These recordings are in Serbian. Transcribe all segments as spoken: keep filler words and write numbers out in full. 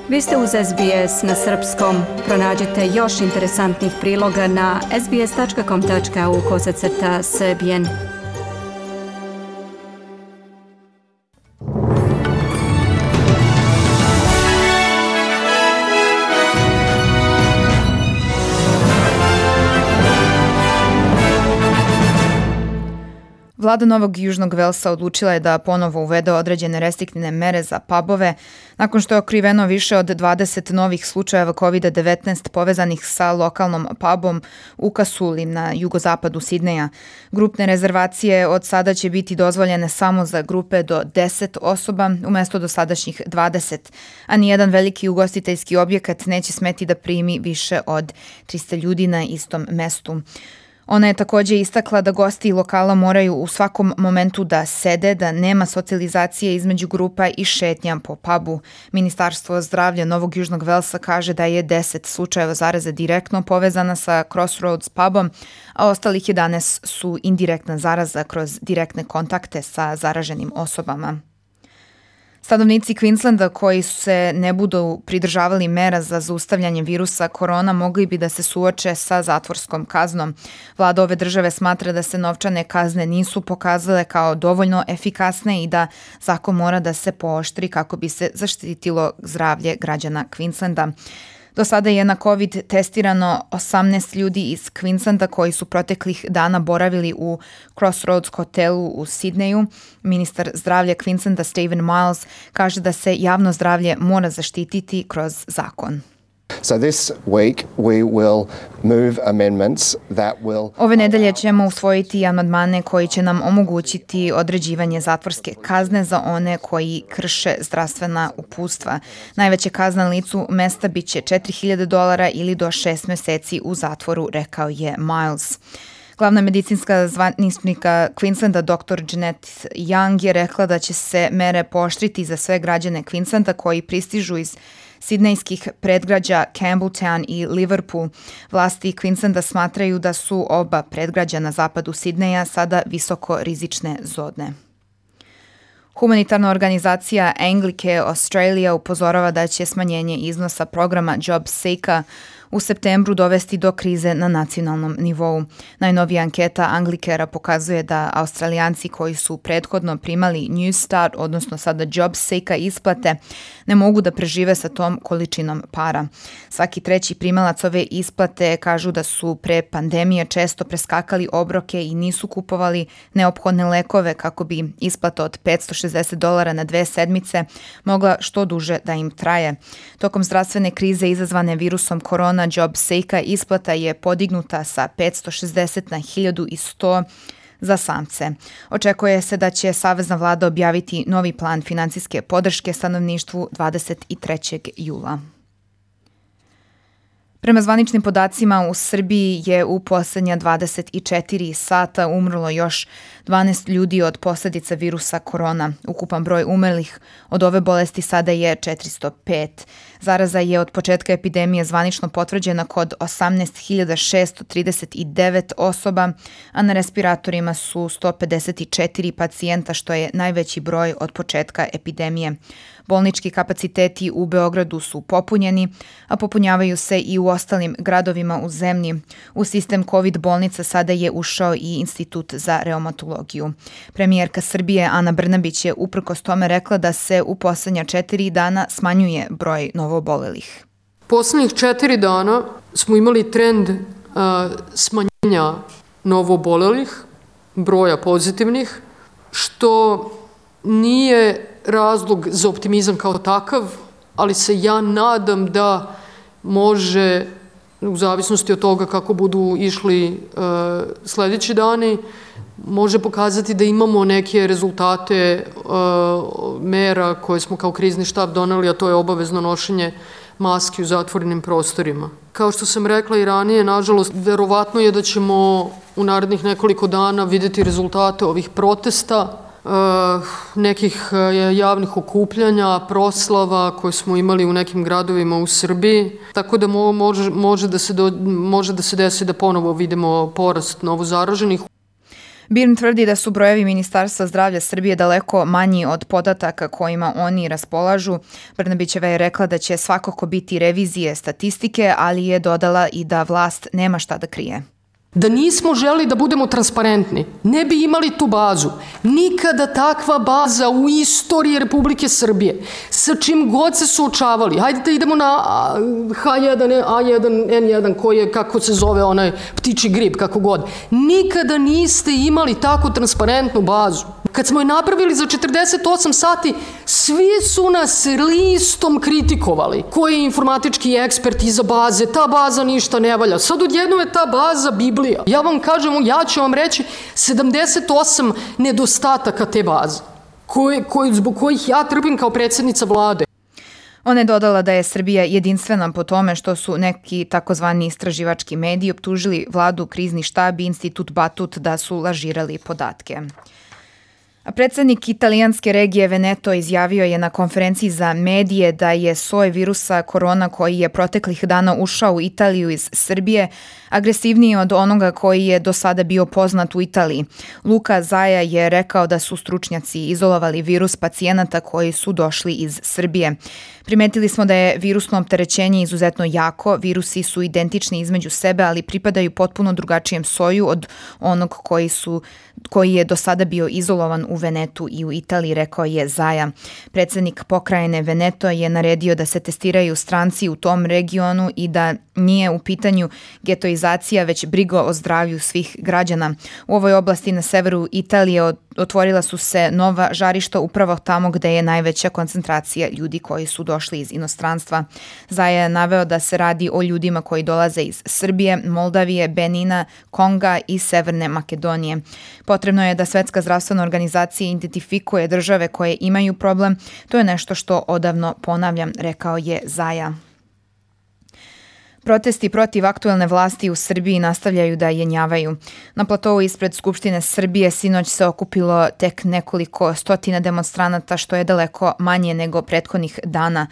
Vi ste uz S B S na srpskom. Pronađite još interesantnih priloga na sbs.com.au kosacrta srbijen. Vlada Novog Južnog Velsa odlučila je da ponovo uvede određene restriktivne mere za pubove nakon što je otkriveno više od dvadeset novih slučajeva kovid devetnaest povezanih sa lokalnom pubom u Kasuli na jugozapadu Sidneja. Grupne rezervacije od sada će biti dozvoljene samo za grupe do deset osoba umesto dosadašnjih dvadeset, a nijedan veliki ugostiteljski objekat neće smeti da primi više od trista ljudi na istom mestu. Ona je također istakla da gosti lokala moraju u svakom momentu da sede, da nema socijalizacije između grupa i šetnja po pubu. Ministarstvo zdravlja Novog Južnog Velsa kaže da je deset slučajeva zaraze direktno povezana sa Crossroads pubom, a ostalih jedanaest su indirektna zaraza kroz direktne kontakte sa zaraženim osobama. Stanovnici Queenslanda koji se ne budu pridržavali mera za zaustavljanje virusa korona mogli bi da se suoče sa zatvorskom kaznom. Vlada ove države smatra da se novčane kazne nisu pokazale kao dovoljno efikasne i da zakon mora da se pooštri kako bi se zaštitilo zdravlje građana Queenslanda. Do sada je na COVID testirano osamnaest ljudi iz Queenslanda koji su proteklih dana boravili u Crossroads hotelu u Sidneju. Ministar zdravlja Queenslanda Stephen Miles kaže da se javno zdravlje mora zaštititi kroz zakon. So this week we will move amendments that will... Ove nedelje ćemo usvojiti amandmane koji će nam omogućiti određivanje zatvorske kazne za one koji krše zdravstvena uputstva. Najveća kazna na licu mesta bit će četiri hiljade dolara ili do šest meseci u zatvoru, rekao je Miles. Glavna medicinska zvaničnika Queenslanda doktor Jeanette Young je rekla da će se mere pooštriti za sve građane Queenslanda koji pristižu iz sidnejskih predgrađa Campbelltown i Liverpool. Vlasti Queenslanda smatraju da su oba predgrađa na zapadu Sidneja sada visoko rizične zone. Humanitarna organizacija Anglicare Australia upozorava da će smanjenje iznosa programa JobSeeker u septembru dovesti do krize na nacionalnom nivou. Najnovija anketa Anglicarea pokazuje da Australijanci koji su prethodno primali Newstart, odnosno sada JobSeeker isplate, ne mogu da prežive sa tom količinom para. Svaki treći primalac ove isplate kažu da su pre pandemije često preskakali obroke i nisu kupovali neophodne lekove kako bi isplata od petsto šezdeset dolara na dve sedmice mogla što duže da im traje. Tokom zdravstvene krize izazvane virusom korona, JobSeeker isplata je podignuta sa petsto šezdeset na hiljadu sto za samce. Očekuje se da će savezna vlada objaviti novi plan finansijske podrške stanovništvu dvadeset trećeg jula. Prema zvaničnim podacima u Srbiji je u poslednja dvadeset četiri sata umrlo još dvanaest ljudi od posljedica virusa korona. Ukupan broj umrlih od ove bolesti sada je četiristo pet. Zaraza je od početka epidemije zvanično potvrđena kod osamnaest hiljada šesto trideset devet osoba, a na respiratorima su sto pedeset četiri pacijenta, što je najveći broj od početka epidemije. Bolnički kapaciteti u Beogradu su popunjeni, a popunjavaju se i u ostalim gradovima u zemlji. U sistem COVID bolnica sada je ušao i Institut za reumatologiju. Premijerka Srbije Ana Brnabić je uprkos tome rekla da se u poslednja četiri dana smanjuje broj novoobolelih. Poslednjih četiri dana smo imali trend uh, smanjenja novoobolelih, broja pozitivnih, što nije razlog za optimizam kao takav, ali se ja nadam da može, u zavisnosti od toga kako budu išli e, sledeći dani, može pokazati da imamo neke rezultate e, mera koje smo kao krizni štab doneli, a to je obavezno nošenje maski u zatvorenim prostorima. Kao što sam rekla i ranije, nažalost, verovatno je da ćemo u narednih nekoliko dana videti rezultate ovih protesta, nekih javnih okupljanja, proslava koje smo imali u nekim gradovima u Srbiji, tako da može, može, da se do, može da se desi da ponovo vidimo porast novozaraženih. BIRN tvrdi da su brojevi Ministarstva zdravlja Srbije daleko manji od podataka kojima oni raspolažu. Brnabićeva je rekla da će svakako biti revizije statistike, ali je dodala i da vlast nema šta da krije. Da nismo želi da budemo transparentni, ne bi imali tu bazu. Nikada takva baza u istoriji Republike Srbije, sa čim god se suočavali. Hajde da idemo na ha jedan, a jedan, en jedan, koji je, kako se zove, onaj ptiči grip, kako god. Nikada niste imali tako transparentnu bazu. Kad smo je napravili za četrdeset osam sati, svi su nas listom kritikovali. Ko je informatički ekspert iza baze, ta baza ništa ne valja. Sad odjednom je ta baza Biblija. Ja vam kažem, ja ću vam reći sedamdeset osam nedostataka te baze, koje, koje, zbog kojih ja trpim kao predsjednica vlade. Ona je dodala da je Srbija jedinstvena po tome što su neki takozvani istraživački mediji optužili vladu, krizni štab i institut Batut da su lažirali podatke. A predsjednik italijanske regije Veneto izjavio je na konferenciji za medije da je soj virusa korona koji je proteklih dana ušao u Italiju iz Srbije agresivniji od onoga koji je do sada bio poznat u Italiji. Luka Zaja je rekao da su stručnjaci izolovali virus pacijenata koji su došli iz Srbije. Primetili smo da je virusno opterećenje izuzetno jako, virusi su identični između sebe, ali pripadaju potpuno drugačijem soju od onog koji, su, koji je do sada bio izolovan u Venetu i u Italiji, rekao je Zaja. Predsjednik pokrajine Veneto je naredio da se testiraju stranci u tom regionu i da nije u pitanju getoizacija, već briga o zdravlju svih građana. U ovoj oblasti na severu Italije otvorila su se nova žarišta upravo tamo gde je najveća koncentracija ljudi koji su došli iz inostranstva. Zaja je naveo da se radi o ljudima koji dolaze iz Srbije, Moldavije, Benina, Konga i Severne Makedonije. Potrebno je da Svetska zdravstvena organizacija identifikuje države koje imaju problem. To je nešto što odavno ponavljam, rekao je Zaja. Protesti protiv aktuelne vlasti u Srbiji nastavljaju da jenjavaju. Na platovu ispred Skupštine Srbije sinoć se okupilo tek nekoliko stotina demonstranata, što je daleko manje nego prethodnih dana.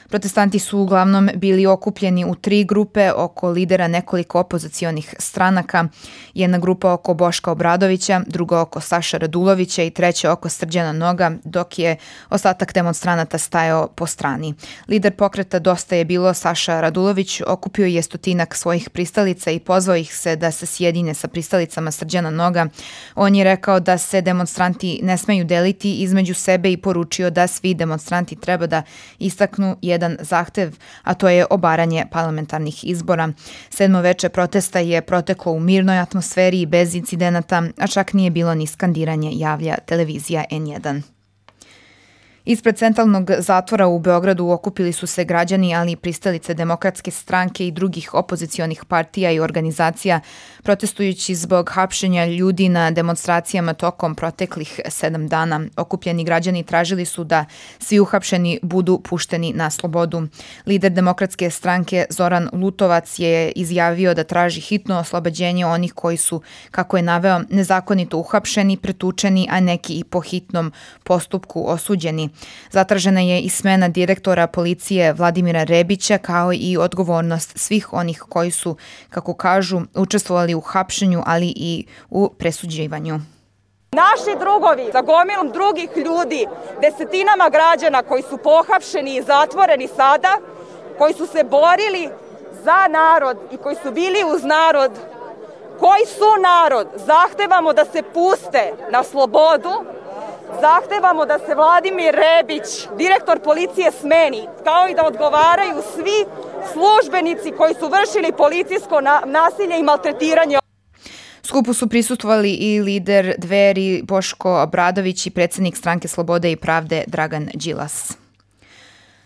Protestanti su uglavnom bili okupljeni u tri grupe oko lidera nekoliko opozicionih stranaka. Jedna grupa oko Boška Obradovića, druga oko Saša Radulovića i treća oko Srđana Noga, dok je ostatak demonstranata stajao po strani. Lider pokreta Dosta je bilo, Saša Radulović, okupio je stotinak svojih pristalica i pozvao ih se da se sjedine sa pristalicama Srđana Noga. On je rekao da se demonstranti ne smeju deliti između sebe i poručio da svi demonstranti treba da istaknu jedan zahtev, a to je obaranje parlamentarnih izbora. Sedmo veče protesta je proteklo u mirnoj atmosferi i bez incidenata, a čak nije bilo ni skandiranje, javlja televizija en jedan. Ispred centralnog zatvora u Beogradu okupili su se građani, ali i pristalice Demokratske stranke i drugih opozicionih partija i organizacija, protestujući zbog hapšenja ljudi na demonstracijama tokom proteklih sedam dana. Okupljeni građani tražili su da svi uhapšeni budu pušteni na slobodu. Lider Demokratske stranke Zoran Lutovac je izjavio da traži hitno oslobađenje onih koji su, kako je naveo, nezakonito uhapšeni, pretučeni, a neki i po hitnom postupku osuđeni. Zatražena je i smena direktora policije Vladimira Rebića, kao i odgovornost svih onih koji su, kako kažu, učestvovali u hapšenju, ali i u presuđivanju. Naši drugovi sa gomilom drugih ljudi, desetinama građana koji su pohapšeni i zatvoreni sada, koji su se borili za narod i koji su bili uz narod, koji su narod, zahtevamo da se puste na slobodu. Zahtevamo da se Vladimir Rebić, direktor policije, smeni, kao i da odgovaraju svi službenici koji su vršili policijsko nasilje i maltretiranje. Skupu su prisustvovali i lider Dveri Boško Obradović i predsjednik Stranke slobode i pravde Dragan Đilas.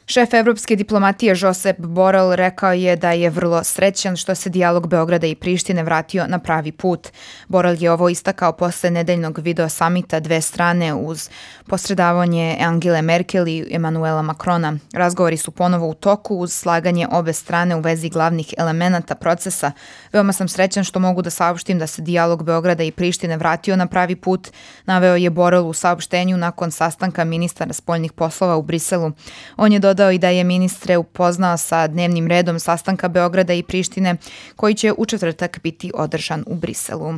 Šef evropske diplomatije Josep Borrell rekao je da je vrlo srećan što se dijalog Beograda i Prištine vratio na pravi put. Borrell je ovo istakao posle nedeljnog video samita dve strane uz posredavanje Angele Merkel i Emanuela Macrona. Razgovori su ponovo u toku uz slaganje obe strane u vezi glavnih elemenata procesa. Veoma sam srećan što mogu da saopštim da se dijalog Beograda i Prištine vratio na pravi put, naveo je Borrell u saopštenju nakon sastanka ministara spoljnih poslova u Briselu. On je dodao i da je ministre upoznao sa dnevnim redom sastanka Beograda i Prištine koji će u četvrtak biti održan u Briselu.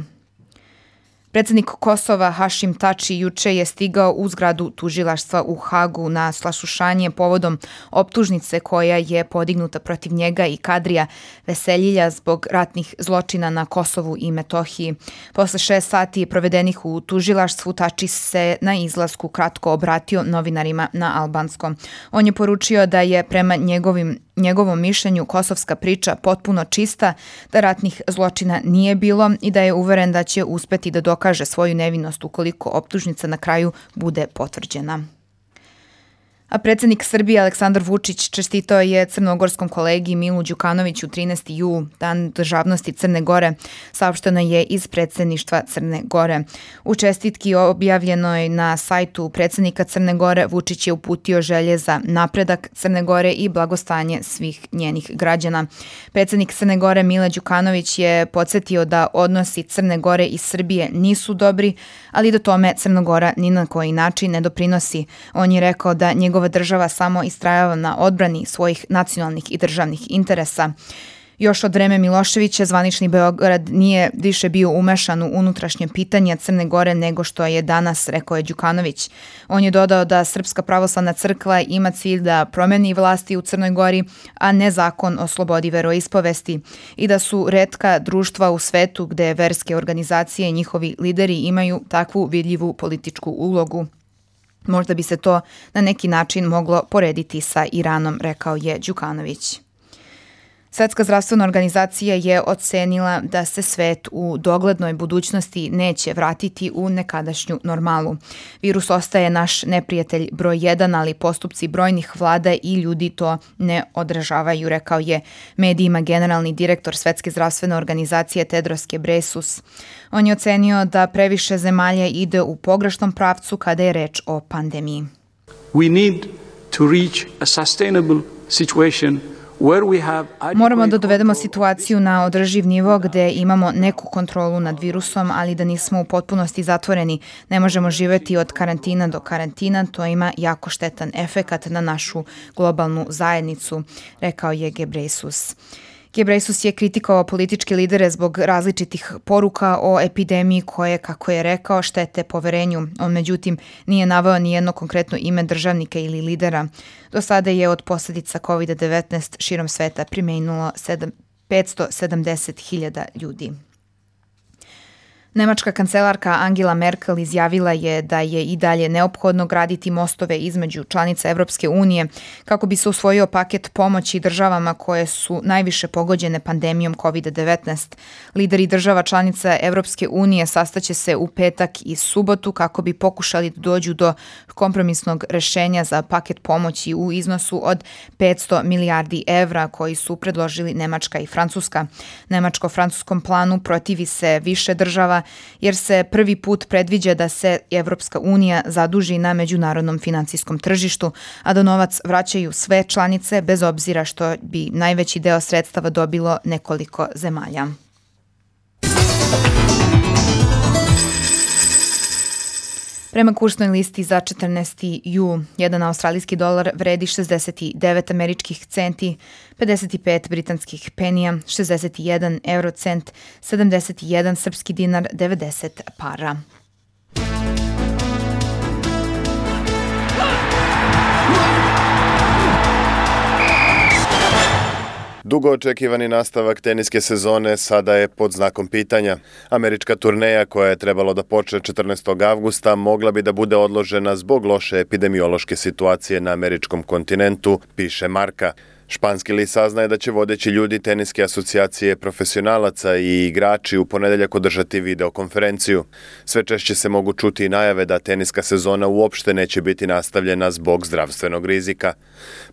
Predsednik Kosova Hašim Tači juče je stigao u zgradu tužilaštva u Hagu na saslušanje povodom optužnice koja je podignuta protiv njega i Kadrija Veseljilja zbog ratnih zločina na Kosovu i Metohiji. Posle šest sati provedenih u tužilaštvu, Tači se na izlasku kratko obratio novinarima na albanskom. On je poručio da je prema njegovim njegovom mišljenju kosovska priča potpuno čista, da ratnih zločina nije bilo i da je uveren da će uspeti da dokaže svoju nevinost ukoliko optužnica na kraju bude potvrđena. A predsednik Srbije Aleksandar Vučić čestitao je crnogorskom kolegi Milu Đukanoviću trinaesti jul, dan državnosti Crne Gore, saopšteno je iz predsedništva Crne Gore. U čestitki objavljenoj na sajtu predsednika Crne Gore, Vučić je uputio želje za napredak Crne Gore i blagostanje svih njenih građana. Predsednik Crne Gore Mile Đukanović je podsjetio da odnosi Crne Gore i Srbije nisu dobri, ali da tome Crna Gora ni na koji način ne doprinosi. On je rekao da njegov država samo istrajava na odbrani svojih nacionalnih i državnih interesa. Još od vreme Miloševića zvanični Beograd nije više bio umešan u unutrašnje pitanje Crne Gore nego što je danas, rekao je Đukanović. On je dodao da Srpska pravoslavna crkva ima cilj da promeni vlasti u Crnoj Gori, a ne zakon o slobodi veroispovesti, i da su retka društva u svetu gde verske organizacije i njihovi lideri imaju takvu vidljivu političku ulogu. Možda bi se to na neki način moglo porediti sa Iranom, rekao je Đukanović. Svetska zdravstvena organizacija je ocenila da se svet u doglednoj budućnosti neće vratiti u nekadašnju normalu. Virus ostaje naš neprijatelj broj jedan, ali postupci brojnih vlada i ljudi to ne odražavaju, rekao je medijima generalni direktor Svetske zdravstvene organizacije Tedros Ghebreyesus. On je ocenio da previše zemalja ide u pogrešnom pravcu kada je reč o pandemiji. We need to reach a sustainable situation. Moramo da dovedemo situaciju na održiv nivo gde imamo neku kontrolu nad virusom, ali da nismo u potpunosti zatvoreni. Ne možemo živeti od karantina do karantina, to ima jako štetan efekat na našu globalnu zajednicu, rekao je Ghebreyesus. Ghebreyesus je kritikovao političke lidere zbog različitih poruka o epidemiji koje, kako je rekao, štete poverenju. On međutim nije naveo ni jedno konkretno ime državnika ili lidera. Do sada je od posljedica kovid devetnaest širom sveta preminulo petsto sedamdeset hiljada ljudi. Nemačka kancelarka Angela Merkel izjavila je da je i dalje neophodno graditi mostove između članica Evropske unije kako bi se usvojio paket pomoći državama koje su najviše pogođene pandemijom kovid devetnaest. Lideri država članica Evropske unije sastaće se u petak i subotu kako bi pokušali da dođu do kompromisnog rešenja za paket pomoći u iznosu od petsto milijardi evra koji su predložili Nemačka i Francuska. Nemačko-francuskom planu protivi se više država jer se prvi put predviđa da se Evropska unija zaduži na međunarodnom finansijskom tržištu, a da novac vraćaju sve članice bez obzira što bi najveći deo sredstava dobilo nekoliko zemalja. Prema kursnoj listi za četrnaesti jul, jedan australijski dolar vredi šezdeset devet američkih centi, pedeset pet britanskih penija, šezdeset jedan eurocent, sedamdeset jedan srpski dinar, devedeset para. Dugo očekivani nastavak teniske sezone sada je pod znakom pitanja. Američka turneja koja je trebalo da počne četrnaestog avgusta mogla bi da bude odložena zbog loše epidemiološke situacije na američkom kontinentu, piše Marka. Španski list saznaje da će vodeći ljudi teniske asocijacije profesionalaca i igrači u ponedeljak održati videokonferenciju. Sve češće se mogu čuti i najave da teniska sezona uopšte neće biti nastavljena zbog zdravstvenog rizika.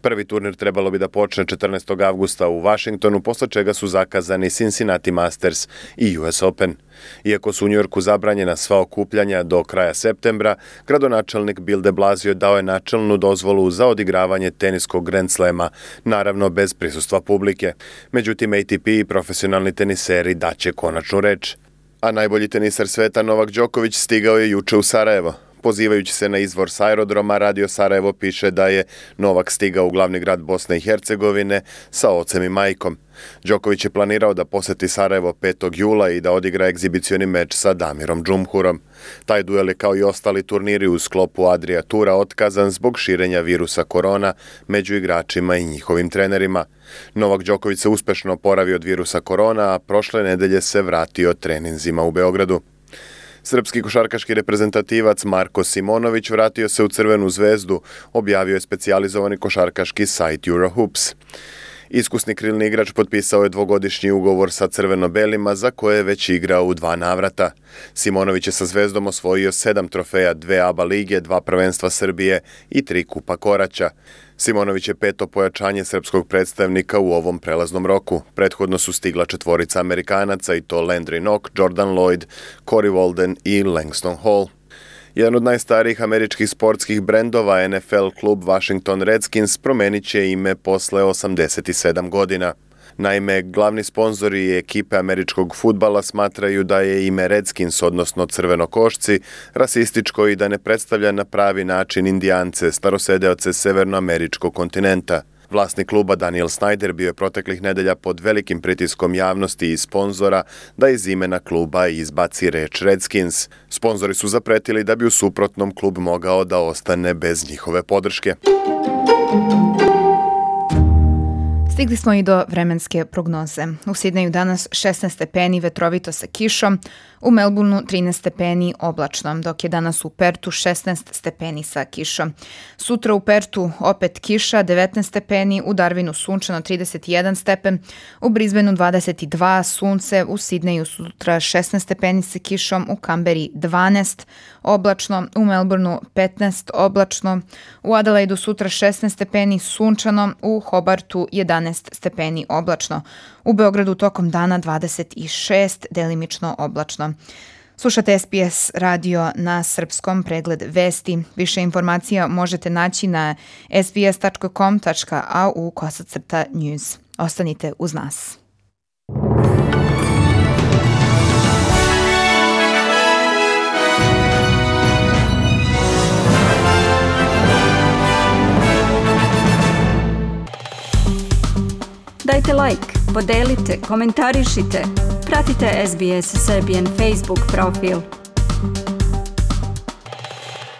Prvi turnir trebalo bi da počne četrnaestog avgusta u Vašingtonu, posle čega su zakazani Cincinnati Masters i U S Open. Iako su u Njujorku zabranjena sva okupljanja do kraja septembra, gradonačelnik Bill de Blasio dao je načelnu dozvolu za odigravanje teniskog Grand Slema, naravno bez prisustva publike. Međutim, A T P i profesionalni teniseri daće konačnu reč. A najbolji tenisar sveta Novak Đoković stigao je juče u Sarajevo. Pozivajući se na izvor s aerodroma, Radio Sarajevo piše da je Novak stigao u glavni grad Bosne i Hercegovine sa ocem i majkom. Đoković je planirao da poseti Sarajevo petog jula i da odigra egzibicioni meč sa Damirom Džumhurom. Taj duel je kao i ostali turniri u sklopu Adria Tura otkazan zbog širenja virusa korona među igračima i njihovim trenerima. Novak Đoković se uspešno oporavio od virusa korona, a prošle nedelje se vratio treninzima u Beogradu. Srpski košarkaški reprezentativac Marko Simonović vratio se u Crvenu zvezdu, objavio je specijalizovani košarkaški sajt Eurohoops. Iskusni krilni igrač potpisao je dvogodišnji ugovor sa crveno-belima za koje je već igrao u dva navrata. Simonović je sa Zvezdom osvojio sedam trofeja, dve A B A lige, dva prvenstva Srbije i tri kupa Koraća. Simonović je peto pojačanje srpskog predstavnika u ovom prelaznom roku. Prethodno su stigla četvorica Amerikanaca i to Landry Knock, Jordan Lloyd, Corey Walden i Langston Hall. Jedan od najstarijih američkih sportskih brendova, N F L klub Washington Redskins, promenit će ime posle osamdeset sedam godina. Naime, glavni sponzori ekipe američkog fudbala smatraju da je ime Redskins, odnosno crvenokošci, rasističko i da ne predstavlja na pravi način Indijance, starosedeoce severnoameričkog kontinenta. Vlasnik kluba Daniel Snyder bio je proteklih nedelja pod velikim pritiskom javnosti i sponzora da iz imena kluba izbaci reč Redskins. Sponzori su zapretili da bi u suprotnom klub mogao da ostane bez njihove podrške. Stigli smo i do vremenske prognoze. U Sidneju danas šesnaest stepeni, vetrovito sa kišom, u Melbourneu trinaest stepeni, oblačno, dok je danas u Pertu šesnaest stepeni sa kišom. Sutra u Pertu opet kiša, devetnaest stepeni, u Darwinu sunčano trideset jedan stepen, u Brisbaneu dvadeset dva, sunce, u Sidneju sutra šesnaest stepeni sa kišom, u Kamberi dvanaest, oblačno, u Melbourneu petnaest, oblačno, u Adelaidu sutra šesnaest stepeni, sunčano, u Hobartu jedanaest stepeni, oblačno, u Beogradu tokom dana dvadeset šest, delimično oblačno. Slušate S B S radio na srpskom, pregled vesti. Više informacija možete naći na s b s tačka com tačka a u kosacrta news. Ostanite uz nas. Dajte like, podelite, komentarišite. Pratite S B S Serbian Facebook profil.